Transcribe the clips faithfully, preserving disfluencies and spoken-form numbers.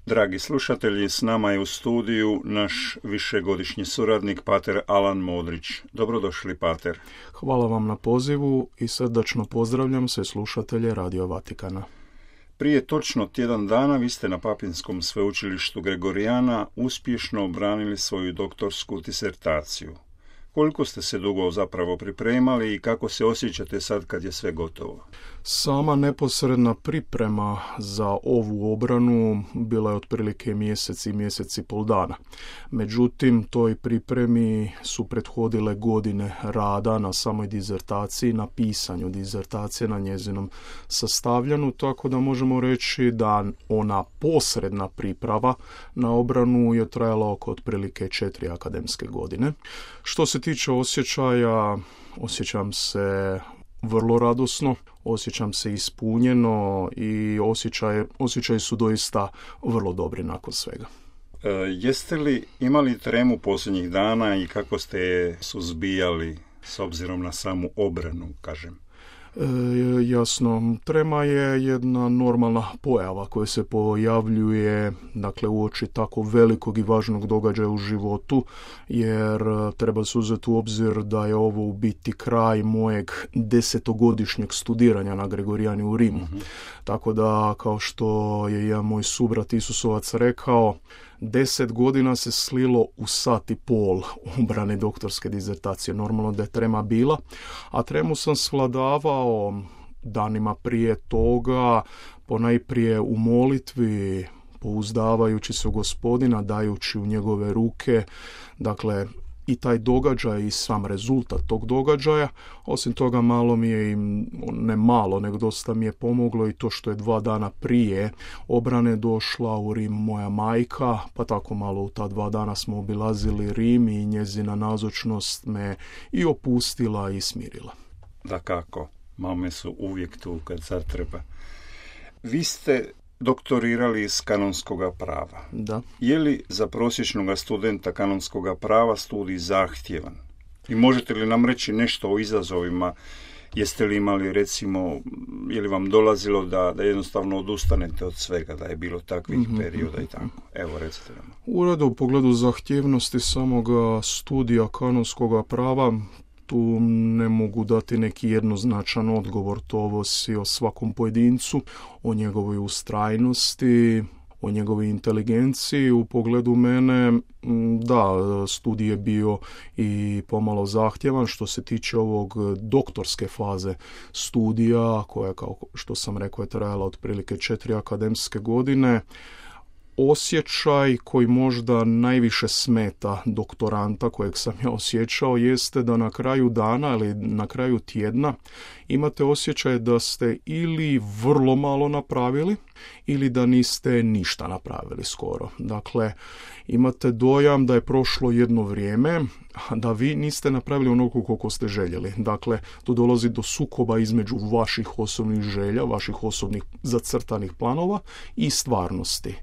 Dragi slušatelji, s nama je u studiju naš višegodišnji suradnik, pater Alan Modrić. Dobrodošli, pater. Hvala vam na pozivu i srdačno pozdravljam sve slušatelje Radio Vatikana. Prije točno tjedan dana vi ste na Papinskom sveučilištu Gregorijana uspješno obranili svoju doktorsku disertaciju. Koliko ste se dugo zapravo pripremali i kako se osjećate sad kad je sve gotovo? Sama neposredna priprema za ovu obranu bila je otprilike mjesec i mjesec i pol dana. Međutim, toj pripremi su prethodile godine rada na samoj dizertaciji, na pisanju dizertacije, na njezinom sastavljanju, tako da možemo reći da ona posredna priprava na obranu je trajala oko otprilike četiri akademske godine. Što se tiče osjećaja, osjećam se vrlo radosno, osjećam se ispunjeno i osjećaj, osjećaji su doista vrlo dobri nakon svega. E, jeste li imali tremu posljednjih dana i kako ste je suzbijali s obzirom na samu obranu, kažem? E, jasno, trema je jedna normalna pojava koja se pojavljuje, dakle, uoči tako velikog i važnog događaja u životu, jer treba se uzeti u obzir da je ovo u biti kraj mojeg desetogodišnjeg studiranja na Gregorijani u Rimu. Mm-hmm. Tako da, kao što je jedan moj subrat Isusovac rekao, deset godina se slilo u sat i pol obrane doktorske dizertacije. Normalno da je trema bila, a tremu sam svladavao danima prije toga, ponajprije u molitvi, pouzdavajući se u Gospodina, dajući u njegove ruke, dakle, i taj događaj i sam rezultat tog događaja. Osim toga, malo mi je, ne malo, nego dosta mi je pomoglo i to što je dva dana prije obrane došla u Rim moja majka, pa tako malo u ta dva dana smo obilazili Rim i njezina nazočnost me i opustila i smirila. Dakako, mame su uvijek tu kad sad treba. Vi ste doktorirali iz kanonskog prava. Da. Je li za prosječnog studenta kanonskog prava studij zahtjevan? I možete li nam reći nešto o izazovima? Jeste li imali, recimo, je li vam dolazilo da, da jednostavno odustanete od svega, da je bilo takvih mm-hmm. perioda i tako? Evo, recite nam. U redu, u pogledu zahtjevnosti samoga studija kanonskog prava, tu ne mogu dati neki jednoznačan odgovor, to ovisi o svakom pojedincu, o njegovoj ustrajnosti, o njegovoj inteligenciji. U pogledu mene, da, studij je bio i pomalo zahtjevan što se tiče ovog doktorske faze studija, koja, kao što sam rekao, je trajala otprilike četiri akademske godine. Osjećaj koji možda najviše smeta doktoranta kojeg sam ja osjećao jeste da na kraju dana ili na kraju tjedna imate osjećaj da ste ili vrlo malo napravili ili da niste ništa napravili skoro. Dakle, imate dojam da je prošlo jedno vrijeme, a da vi niste napravili onoliko koliko ste željeli. Dakle, tu dolazi do sukoba između vaših osobnih želja, vaših osobnih zacrtanih planova i stvarnosti.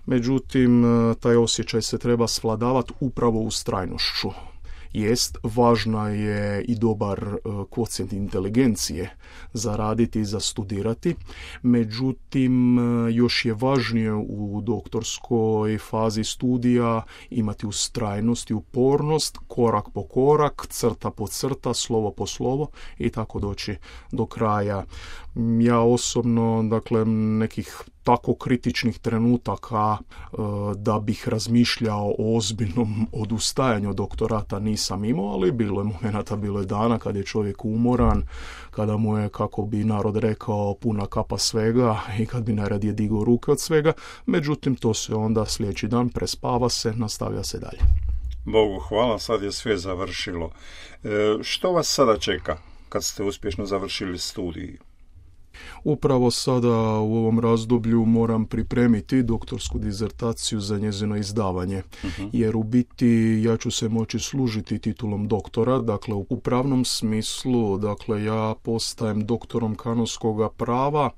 Međutim, taj osjećaj se treba svladavati upravo ustrajnošću. Jest, važna je i dobar kvocijent inteligencije za raditi i za studirati. Međutim, još je važnije u doktorskoj fazi studija imati ustrajnost i upornost, korak po korak, crta po crta, slovo po slovo i tako doći do kraja. Ja osobno, dakle, nekih tako kritičnih trenutaka e, da bih razmišljao o ozbiljnom odustajanju doktorata nisam imao, ali bilo je momenata, bilo je dana kad je čovjek umoran, kada mu je, kako bi narod rekao, puna kapa svega i kad bi najradije digao ruke od svega. Međutim, to se onda sljedeći dan prespava se, nastavlja se dalje. Bogu hvala, sad je sve završilo. E, što vas sada čeka kad ste uspješno završili studij? Upravo sada u ovom razdoblju moram pripremiti doktorsku dizertaciju za njezino izdavanje, uh-huh. jer u biti ja ću se moći služiti titulom doktora, dakle u pravnom smislu, dakle ja postajem doktorom kanonskog prava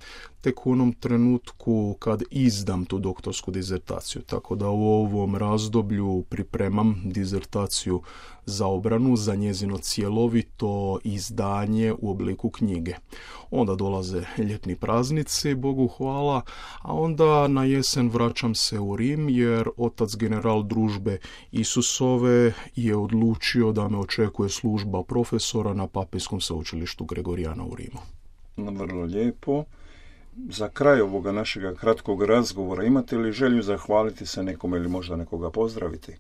tek u onom trenutku kad izdam tu doktorsku dizertaciju. Tako da u ovom razdoblju pripremam dizertaciju za obranu, za njezino cjelovito izdanje u obliku knjige. Onda dolaze ljetni praznici, Bogu hvala, a onda na jesen vraćam se u Rim jer otac general družbe Isusove je odlučio da me očekuje služba profesora na Papijskom sveučilištu Gregorijana u Rimu. Vrlo lijepo. Za kraj ovoga našega kratkog razgovora imate li želju zahvaliti se nekome ili možda nekoga pozdraviti?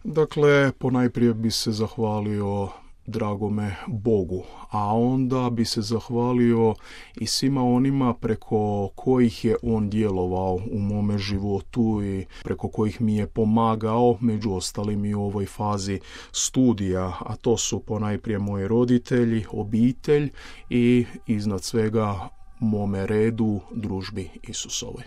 Dakle, ponajprije bi se zahvalio dragome Bogu, a onda bi se zahvalio i svima onima preko kojih je on djelovao u mome životu i preko kojih mi je pomagao, među ostalim i u ovoj fazi studija, a to su ponajprije moji roditelji, obitelj i iznad svega mome redu, družbi Isusovoj.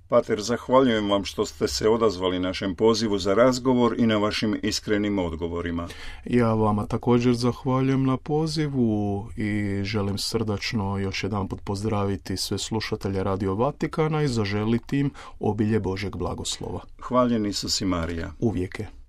Pater, zahvaljujem vam što ste se odazvali našem pozivu za razgovor i na vašim iskrenim odgovorima. Ja vama također zahvaljujem na pozivu i želim srdačno još jedanput pozdraviti sve slušatelje Radio Vatikana i zaželiti im obilje Božjeg blagoslova. Hvaljen Isus i Marija. Uvijek je.